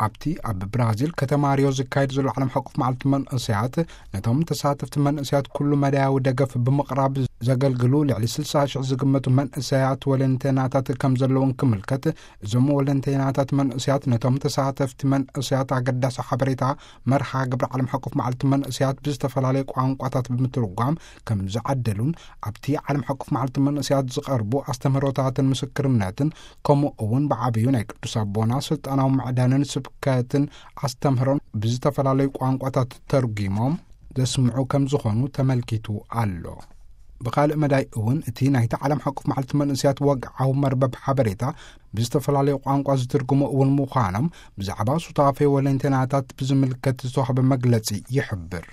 ኣብቲ ኣብ ብራዚል ከተማ ሪዮ ዝካየድ ዘሎ ዓለም ሓቆፍ መዓልቲ መንእሰያት፣ ነቶም ተሳተፍቲ መንእሰያት ኩሉ መዳያዊ ደገፍ ብምቕራብ ዘገልግሉ ልዕሊ ስልሳ ሽሕ ዝግመቱ መንእሰያት ወለንተናታት ከም ዘለውን ክምልከት፣ እዞም ወለንተናታት መንእሰያት ነቶም ተሳተፍቲ መንእሰያት ኣገዳሲ ሓበሬታ መርሃ ግብሪ ዓለም ሓቆፍ መዓልቲ መንእሰያት ብዝተፈላለየ ቋንቋታት ብምትርጓም ከም ዝዓደሉን፣ ኣብቲ ዓለም ሓቆፍ መዓልቲ መንእሰያት ዝቐርቡ ኣስተምህሮታትን ምስክርነትን፣ ከምኡ እውን ብዓብዩ ናይ ቅዱስ ኣቦና ስልጣናዊ ምዕዳንን ስብከትን ኣስተምህሮን ብዝተፈላለዩ ቋንቋታት ተርጒሞም ዘስምዑ ከም ዝኾኑ ተመልኪቱ ኣሎ። ብኻልእ መዳይ እውን፣ እቲ ናይቲ ዓለም ሓቆፍ መዓልቲ መንእሰያት ወግዓዊ መርበብ ሓበሬታ ብዝተፈላለዩ ቋንቋ ዝትርጉሙ እውን ምዃኖም ብዛዕባ ሱታፌ ወለንተናታት ብዝምልከት ዝተዋህበ መግለጺ ይሕብር።